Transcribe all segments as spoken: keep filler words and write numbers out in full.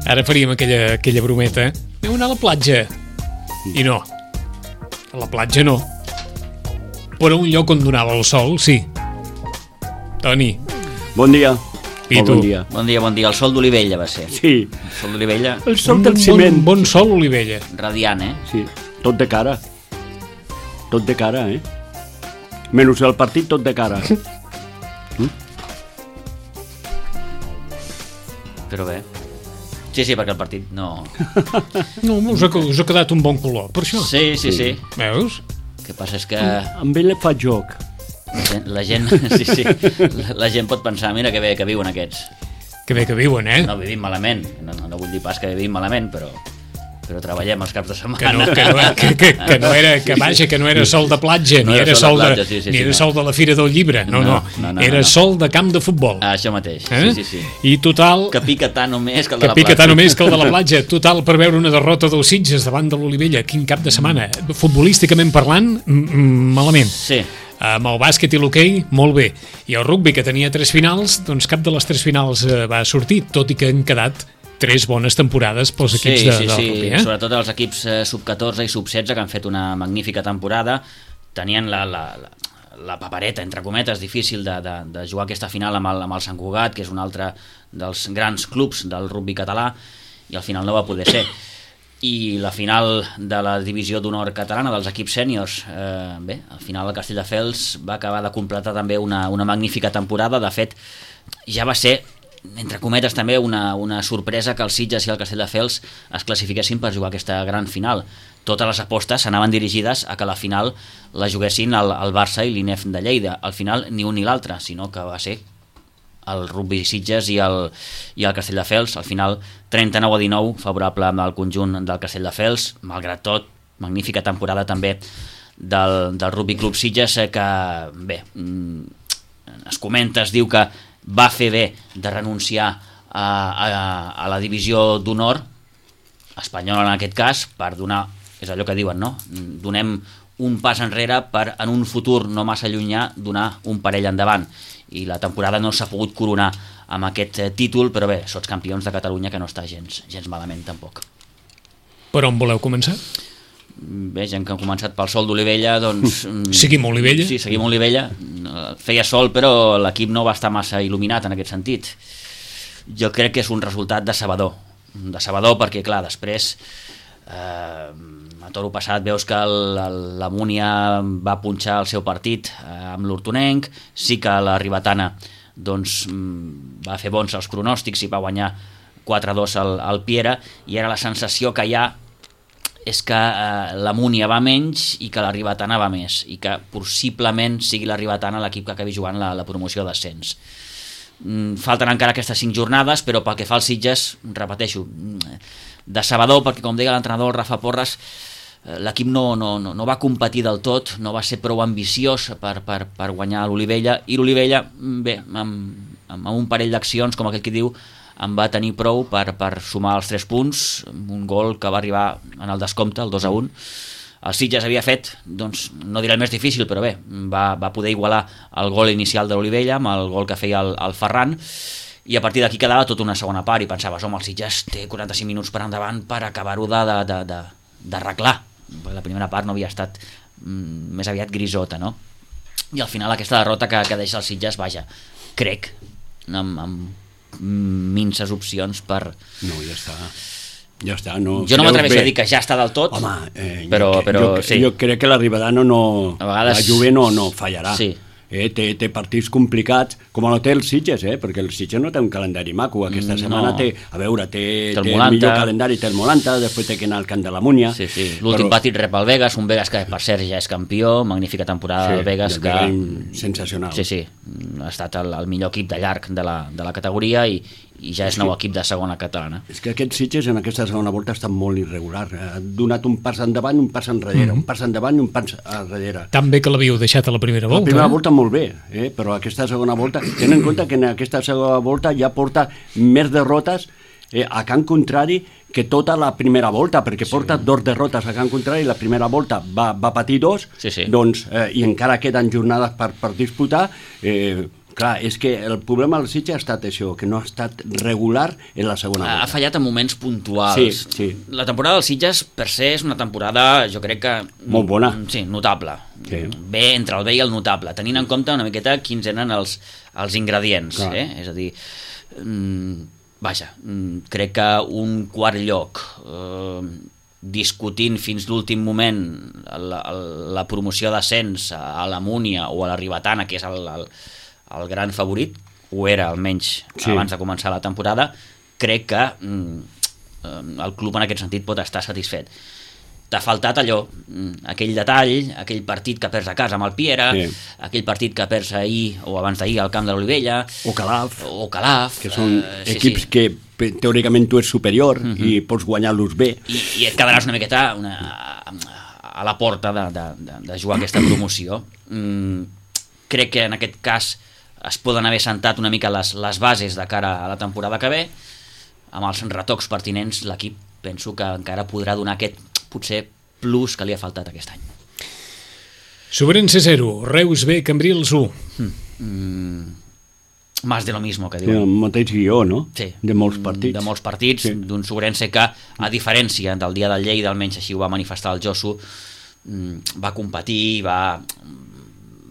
Ara faríem aquella, aquella brometa. Aneu a anar a la platja. I no. A la platja no. Però un lloc on donava el sol, sí. Toni. Bon dia. I tu? Bon dia. Bon dia, bon dia. El sol d'Olivella va ser. Sí. El sol d'Olivella. El sol Un del ciment. bon, bon sol, Olivella. Radiant, eh? Sí, tot de cara. Tot de cara, eh? Menys el partit, tot de cara. Però bé. Sí, sí, perquè el partit no... No, us ha, us ha quedat un bon color, per això. Sí, sí, sí. Veus? El que passa és que Amb ell fa joc. la gent, la gent, sí, sí, la, la gent pot pensar, mira que bé que viuen aquests. Que bé que viuen, eh? No vivim malament, no, no, no vull dir pas que vivim malament, però però treballem els caps de Que setmana. no, que no, que, que, que no era, que vaja, que no era sol de platja, No ni era era sol sol de de, platja, sí, sí, ni sí, era no. sol de la Fira del Llibre, no, no, No, no, no, era no. sol de camp de futbol. Ah, això mateix, Eh? sí, sí, sí. I total, Que pica tant o més que el de que la pica platja. tant o més que el de la platja, total per veure una derrota del Sitges davant de l'Olivella, quin cap de setmana, futbolísticament parlant, mm, mm, malament. Sí, Amb el bàsquet i l'hoquei, molt bé. I el rugbi, que tenia tres finals, doncs cap de les tres finals eh, va sortir, tot i que han quedat tres bones temporades pels equips sí, de, sí, del sí. rugbi, eh? Sobretot els equips eh, sub catorze i sub setze que han fet una magnífica temporada, tenien la, la, la, la papereta, entre cometes, difícil de, de, de jugar aquesta final amb el, amb el Sant Cugat, que és un altre dels grans clubs del rugbi català, i al final no va poder ser. I la final de la divisió d'honor catalana dels equips sèniors, eh, bé, al final el Castelldefels va acabar de completar també una, una magnífica temporada. De fet, ja va ser, entre cometes, també una, una sorpresa que el Sitges i el Castelldefels es classifiquessin per jugar aquesta gran final. Totes les apostes anaven dirigides a que la final la juguessin el, el Barça i l'I N E F de Lleida. Al final ni un ni l'altre, sinó que va ser el rugbi Sitges i el, i el Castelldefels. Al final trenta-nou a dinou favorable al conjunt del Castelldefels. Malgrat tot, magnífica temporada també del, del Rugby Club Sitges, eh, que bé, es comenta, es diu que va fer bé de renunciar a, a, a la divisió d'honor espanyola en aquest cas, per donar, és allò que diuen, no? Donem un pas enrere per en un futur no massa llunyà donar un parell endavant, i la temporada no s'ha pogut coronar amb aquest eh, títol, però bé, sots campions de Catalunya, que no està gens, gens malament tampoc. Per on voleu començar? Bé, gent que ha començat pel sol d'Olivella, doncs... Seguim Olivella? Sí, seguim Olivella. Feia sol, però l'equip no va estar massa il·luminat en aquest sentit. Jo crec que és un resultat decebedor. Decebedor perquè, clar, després... Eh, a toro passat veus que el, el, la Múnia va punxar el seu partit eh, amb l'Hortonenc, sí que la Ribetana doncs, va fer bons els pronòstics i va guanyar quatre a dos al, al Piera, i ara la sensació que hi ha és que eh, la Múnia va menys i que la Ribetana va més, i que possiblement sigui la Ribetana l'equip que acabi jugant la, la promoció d'ascens. Mm, falten encara aquestes cinc jornades, però pel que fa als Sitges, repeteixo, decebedor, perquè com deia l'entrenador Rafa Porres, l'equip no, no, no, no va competir del tot, no va ser prou ambiciós per, per, per guanyar l'Olivella, i l'Olivella, bé, amb, amb un parell d'accions, com aquell que diu, en va tenir prou per, per sumar els tres punts, un gol que va arribar en el descompte, el dos a un. El Sitges havia fet, doncs, no diré el més difícil, però bé, va, va poder igualar el gol inicial de l'Olivella amb el gol que feia el, el Ferran, i a partir d'aquí quedava tota una segona part, i pensaves, home, el Sitges té quaranta-cinc minuts per endavant per acabar-ho d'arreglar. La primera part no havia estat mm, més aviat grisota, no? I al final aquesta derrota que, que deixa el Sitges, vaja, crec, amb, amb minces opcions per... No, ja està. Ja està, no... Jo no m'atreveixo a dir que ja està del tot, home, eh, però, jo, però jo, sí. Jo crec que la Ribetana no... A vegades... La Juve no, no fallarà. Sí. Eh, té, té partits complicats, com no té el Sitges, eh? Perquè el Sitges no té un calendari maco. Aquesta Mm, setmana no. té, a veure, té, Té el té el Molanta. millor calendari, té el Molanta, després té que anar al camp de la Múnia. Sí, sí. L'últim però... partit rep el Vegas, un Vegas que per cert ja és campió, magnífica temporada Sí, del Vegas, el que... Vegas sensacional. Sí, sí, ha estat el, el millor equip de llarg de la, de la categoria, i, i ja és nou equip de segona catalana. És que aquest Sitges en aquesta segona volta ha estat molt irregular. Ha donat un pas endavant, un pas enrere, mm. un pas endavant i un pas enrere. Tan bé que l'havíeu deixat a la primera volta. La primera eh? volta molt bé, eh? Però aquesta segona volta, ten en compte que en aquesta segona volta ja porta més derrotes eh, a camp contrari que tota la primera volta, perquè sí. porta dos derrotes a camp contrari, la primera volta va, va patir dos, sí, sí. doncs, eh, i encara queden jornades per, per disputar, eh, Clar, és que el problema del Sitges ha estat això, que no ha estat regular en la segona volta. Ha fallat en moments puntuals. Sí, sí. La temporada del Sitges, per se, és una temporada, jo crec que... Molt bona. Sí, notable. Sí. Bé, entre el bé i el notable, tenint en compte una miqueta quins eren els, els ingredients. Eh? És a dir, mm, vaja, mm, crec que un quart lloc... Eh, discutint fins l'últim moment la, la promoció d'ascens a la Múnia o a la Ribetana, que és el, el, el gran favorit, ho era almenys sí. abans de començar la temporada, crec que mm, el club en aquest sentit pot estar satisfet. T'ha faltat allò, aquell detall, aquell partit que perds a casa amb el Piera, sí. aquell partit que perds ahir o abans d'ahir al camp de l'Olivella, o Calaf, o Calaf, que són eh, equips sí, sí. que teòricament tu ets superior uh-huh. i pots guanyar-los bé. I, i et quedaràs una miqueta una, a la porta de, de, de, de jugar aquesta promoció. Mm, crec que en aquest cas es poden haver sentat una mica les, les bases de cara a la temporada que ve, amb els retocs pertinents l'equip penso que encara podrà donar aquest potser plus que li ha faltat aquest any. Sobrense zero, Reus B, Cambrils u. Mm. Mm. Más de lo mismo, que diuen. Sí, el mateix guió, no? Sí. De molts partits. De molts partits, sí. d'un Sobrense que, a diferència del dia del Lleida, almenys així ho va manifestar el Josu, va competir, va,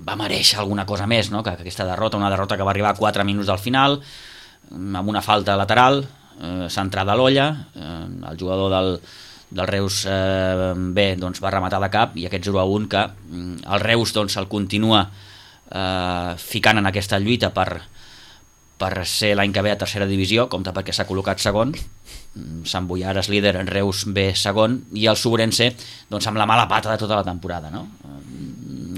va mereixer alguna cosa més, no? que, que aquesta derrota, una derrota que va arribar a quatre minuts del final, amb una falta lateral, eh, centrada a l'olla, eh, el jugador del, del Reus eh, B doncs, va rematar de cap, i aquest zero a un que el Reus doncs, el continua eh, ficant en aquesta lluita per, per ser l'any que ve a tercera divisió, compte perquè s'ha col·locat segon, Sant Boià és líder, Reus B segon, i el Sobrense doncs, amb la mala pata de tota la temporada, no?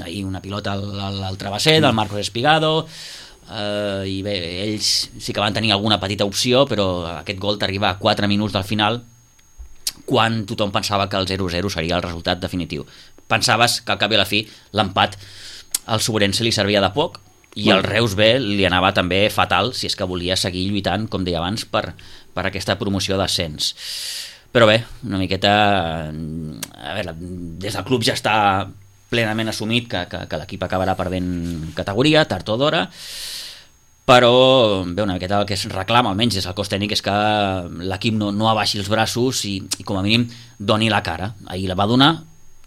Ahir una pilota al, al, al travesser del Marcos Espigado, eh, i bé, ells sí que van tenir alguna petita opció, però aquest gol t'arriba a quatre minuts del final, quan tothom pensava que el zero zero seria el resultat definitiu. Pensaves que al cap i a la fi l'empat al Sobrense li servia de poc, i el Reus B li anava també fatal si és que volia seguir lluitant, com deia abans, per, per aquesta promoció d'ascens. Però bé, una miqueta... A veure, des del club ja està plenament assumit que, que, que l'equip acabarà perdent categoria, tard o d'hora, però bé, una miqueta el que es reclama, almenys des del cos tècnic, és que l'equip no, no abaixi els braços i, i com a mínim doni la cara. Ahir la va donar,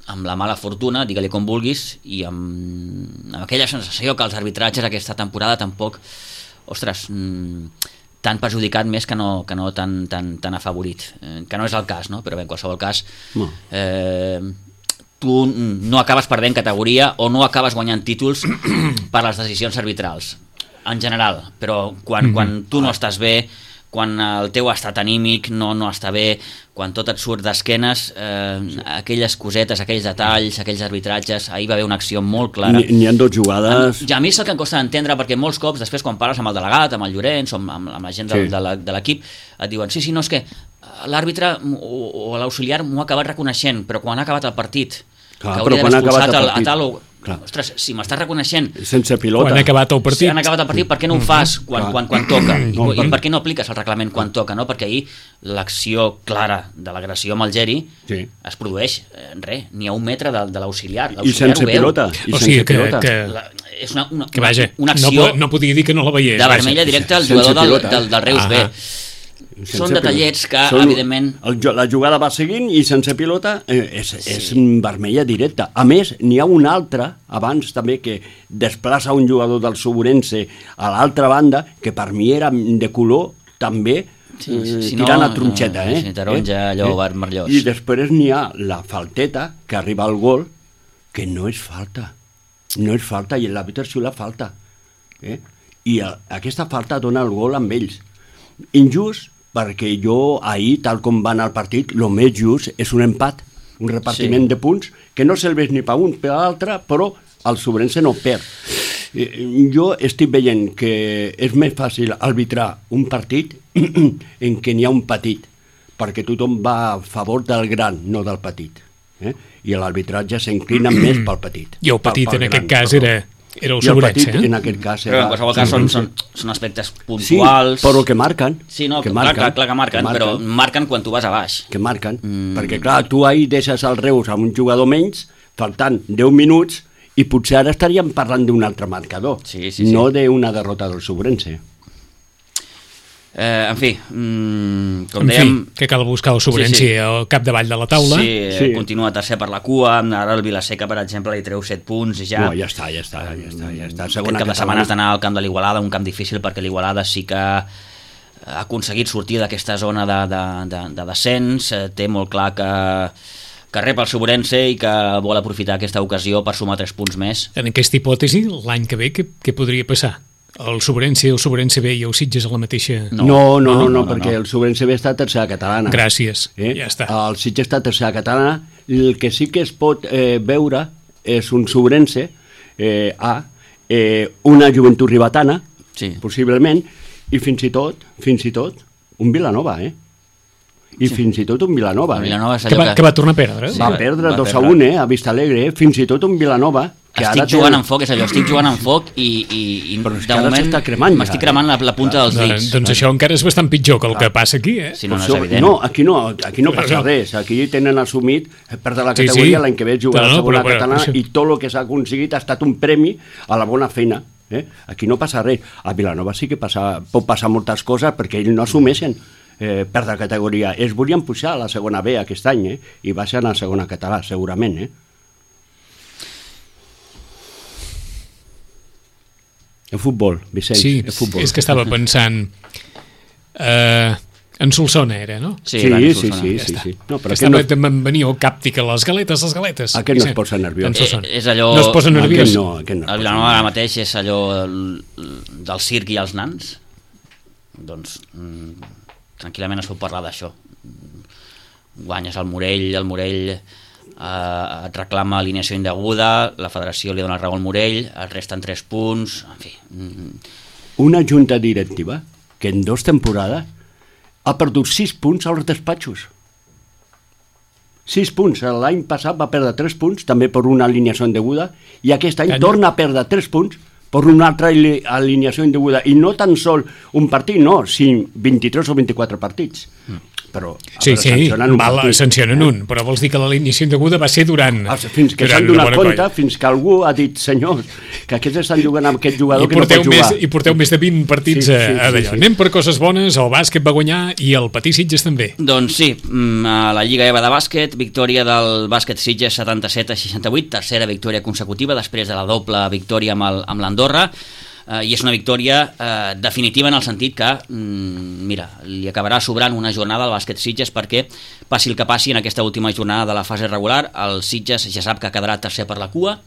amb la mala fortuna, digue-li com vulguis, i amb, amb aquella sensació que els arbitratges aquesta temporada tampoc, ostres, tan perjudicat més que no, que no tan, tan, tan afavorit, eh, que no és el cas, no? Però bé, en qualsevol cas, no. eh, tu no acabes perdent categoria o no acabes guanyant títols per les decisions arbitrals, en general, però quan, mm-hmm. quan tu no estàs bé, quan el teu estat anímic no, no està bé, quan tot et surt d'esquenes, eh, sí. aquelles cosetes, aquells detalls, aquells arbitratges, ahir va haver una acció molt clara. N'hi ha dos jugades... Ja a mi és el que em costa d'entendre, perquè molts cops, després quan parles amb el delegat, amb el Llorenç, o amb, amb la gent de, sí. de, de l'equip, et diuen, sí, sí, no, és que l'àrbitre o, o l'auxiliar m'ho ha acabat reconeixent, però quan ha acabat el partit, clar, que hauria d'haver expulsat el, a tal o... Clar. Ostres, si m'estàs reconeixent sense pilota, quan ha acabat el partit, si han acabat el partit, per què no ho fas quan, quan, quan toca? I, no, i per què no apliques el reglament quan toca? No? Perquè ahir l'acció clara de l'agressió amb el Geri sí. es produeix, eh, res, n'hi ha un metre de, de l'auxiliar. I sense pilota. I o sigui sense que, pilota. que, la, és una, una, que vaja, una acció no, no podia dir que no la veiés. De vermella directa al jugador del, del, del Reus B. Sense Són detallets que, Són, evidentment... El, la jugada va seguint i sense pilota eh, és, sí. és vermella directa. A més, n'hi ha una altra, abans també, que desplaça un jugador del Sobrense a l'altra banda, que per mi era de color també sí, eh, si tirant no, a tronxeta. Eh? Si taronja, eh? allò, eh? vermellós. I després n'hi ha la falteta que arriba al gol, que no és falta. No és falta, i l'àrbitre sí la falta. Eh? I a, aquesta falta dona el gol amb ells. Injust, perquè jo ahir, tal com va anar el partit, el més just és un empat, un repartiment sí. de punts, que no serveix ni per un per l'altre, però el Sobrense no perd. Jo estic veient que és més fàcil arbitrar un partit en què n'hi ha un petit, perquè tothom va a favor del gran, no del petit. Eh? I l'arbitratge s'inclina més pel petit. I el petit, pel, pel en aquest gran, cas, era... Era el Sobrense, eh? En aquest cas era... Però en qualsevol cas són, són, són aspectes puntuals... Sí, però que marquen. Sí, no, que clar, marquen, clar, clar que marquen, que marquen, però marquen quan tu vas a baix. Que marquen, mm. perquè clar, tu ahir deixes el Reus amb un jugador menys, faltant deu minuts, i potser ara estaríem parlant d'un altre marcador, sí, sí, sí. no d'una derrota del Sobrense. Eh, en fi, mm, com en dèiem... fi, que cal buscar el Sobrense sí, sí. al capdavall de la taula. Sí, Sí. continua tercer per la cua, ara el Vilaseca, per exemple, li treu set punts i ja... No, ja està, ja està, ja està. Ja està. Aquest Segona cap de catalana. setmana has d'anar al camp de l'Igualada, un camp difícil perquè l'Igualada sí que ha aconseguit sortir d'aquesta zona de, de, de, de descens, eh, té molt clar que, que rep el Sobrense i que vol aprofitar aquesta ocasió per sumar tres punts més. En aquesta hipòtesi, l'any que ve, què, què podria passar? El Sobrense, el Sobrense B i el Sitges a la mateixa... No, no, no, no, no, no, perquè no. el Sobrense B està a tercera catalana. Gràcies, Eh? ja està. El Sitges està a tercera catalana. El que sí que es pot eh, veure és un Sobrense eh, A, eh, una Joventut Ribatana, Sí. possiblement, i fins i tot, fins i tot, un Vilanova, eh? I sí. fins i tot un Vilanova. El Eh? Vilanova és Que allò va, que va tornar a perdre. Sí. Va va- perdre va dos a perdre. un, eh? A Vista Alegre, eh? Fins i tot un Vilanova que estic ara jugant té... amb foc, és allò, estic jugant amb foc i, i, i Però és que de ara moment s'està cremant ja, m'estic eh? cremant la, la punta dels Doncs, dits. doncs això encara és bastant pitjor que el que passa aquí, eh? Si no, no és Això- evident. No, aquí no, aquí no passa No. res. Aquí tenen assumit perdre la Sí, categoria sí. l'any que ve jugar No, a no, la segona però- però- catalana això- i tot el que s'ha aconseguit ha estat un premi a la bona feina. Eh? Aquí no passa res. A Vilanova sí que passa, pot passar moltes coses perquè ells no assumeixen eh, perdre categoria. Ells volien pujar a la segona B aquest any eh? I baixen a la segona català, segurament. Eh? El futbol, Vicenç, Sí, el futbol. és que estava pensant... Eh, en Solsona era, no? Sí, Sí, Dani sí, Solsona. sí, Ja sí, està. sí. No, però que aquest estava, no, no... em venia el càptic a les galetes, les galetes. Aquest no es Vicent. posa nerviós. En Solsona. Eh, és allò- No es posa Aquest nerviós. no, aquest no. El Vilanova ara mateix és allò el- del circ i els nans. Doncs mm, tranquil·lament es pot parlar d'això. Guanyes el Morell, el Morell eh, et reclama alineació indeguda, la federació li dona raó al Morell, et resten tres punts, en fi... Mm, Una junta directiva que en dos temporades ha perdut sis punts als despatxos. Sis punts. L'any passat va perdre tres punts, també per una alineació indeguda, i aquest any Any. torna a perdre tres punts per una altra ali- alineació indeguda. I no tan sol un partit, no, sinó vint-i-tres o vint-i-quatre partits. Mm. Però a Sí, veure, sí, sancionen un val, partit. sancionen un, però vols dir que l'alineació indeguda va ser durant... Ah, fins que durant s'han una donat bona compte, colla. fins que algú ha dit, senyors, que aquests estan jugant amb aquest jugador I que no porteu, pot més, jugar. I porteu més de vint partits Sí, a, sí, a sí, d'allò. sí. Anem per coses bones, el bàsquet va guanyar i el Patí Sitges també. Doncs sí, mm, a la Lliga EVA de bàsquet, victòria del bàsquet Sitges setanta-set a seixanta-vuit, tercera victòria consecutiva després de la doble victòria amb el- amb l'Andorra, eh, i és una victòria eh, definitiva en el sentit que, mm, mira, li acabarà sobrant una jornada al bàsquet Sitges perquè passi el que passi en aquesta última jornada de la fase regular, el Sitges ja sap que quedarà tercer per la cua,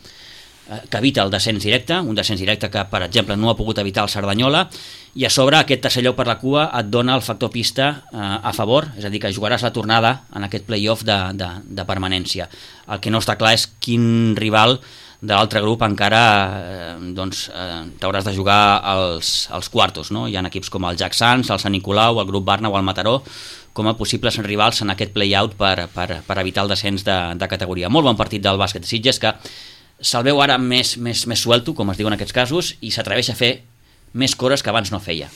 eh, que evita el descens directe, un descens directe que, per exemple, no ha pogut evitar el Cerdanyola, i a sobre aquest tercer lloc per la cua et dona el factor pista eh, a favor, és a dir, que jugaràs la tornada en aquest play-off de, de, de permanència. El que no està clar és quin rival de l'altre grup encara eh, doncs, eh, t'hauràs de jugar als, als quartos, no? Hi ha equips com el Jack Sants, el Sant Nicolau, el grup Barna o el Mataró com a possibles rivals en aquest play-out per, per, per evitar el descens de, de categoria. Molt bon partit del bàsquet Sitges, que se'l veu ara més, més, més suelto, com es diu en aquests casos, i s'atreveix a fer més coses que abans no feia.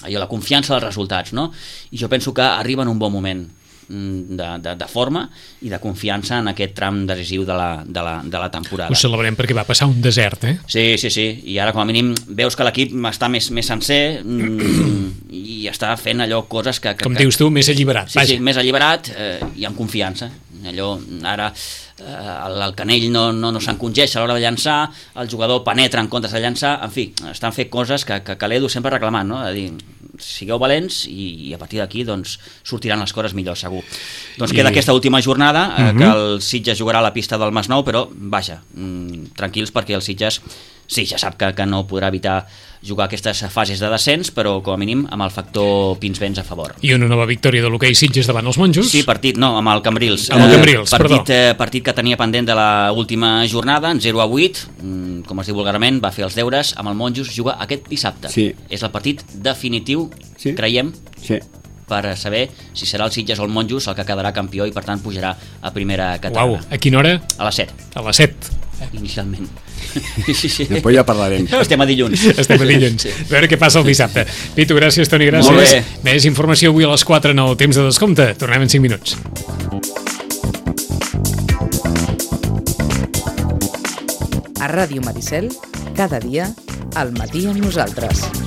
Allò, la confiança dels resultats, no? I jo penso que arriba en un bon moment de, de, de forma i de confiança en aquest tram decisiu de la, de la, de la temporada. Ho celebrem perquè va passar un desert, eh? Sí, sí, sí, i ara com a mínim veus que l'equip està més, més sencer mm, i està fent allò coses que... que Com que... dius tu, més alliberat. Sí, sí, més alliberat eh, i amb confiança. Allò, ara eh, el, el canell no, no, no s'encongeix a l'hora de llançar, el jugador penetra en comptes de llançar, en fi, estan fent coses que, que, que l'Edu sempre ha reclamat, no? A dir, sigueu valents i, i a partir d'aquí doncs, sortiran les coses millor, segur. Doncs I... queda aquesta última jornada, eh, Uh-huh. que el Sitges jugarà a la pista del Masnou, però vaja, mm, tranquils perquè el Sitges sí, ja sap que, que no podrà evitar jugar aquestes fases de descens, però com a mínim amb el factor Pinsbens a favor. I una nova victòria de l'hoquei Sitges davant els monjos. Sí, partit, no, amb el Cambrils. Amb el Cambrils, eh, perdó. partit, eh, partit que tenia pendent de la última jornada, en zero a vuit, mm, com es diu vulgarment, va fer els deures amb el Monjos, juga aquest dissabte. Sí. És el partit definitiu, Sí. creiem, Sí. per saber si serà el Sitges o el Monjos el que quedarà campió i per tant pujarà a primera catalana. Uau, a quina hora? A les set, A les set. inicialment. Sí, sí. Després ja parlarem. Estem a dilluns. Estem a dilluns. A veure què passa el dissabte. Pitu, gràcies, Toni, gràcies. Molt bé. Més informació avui a les quatre en el temps de descompte. Tornem en cinc minuts. A Ràdio Maricel, cada dia, al matí amb nosaltres.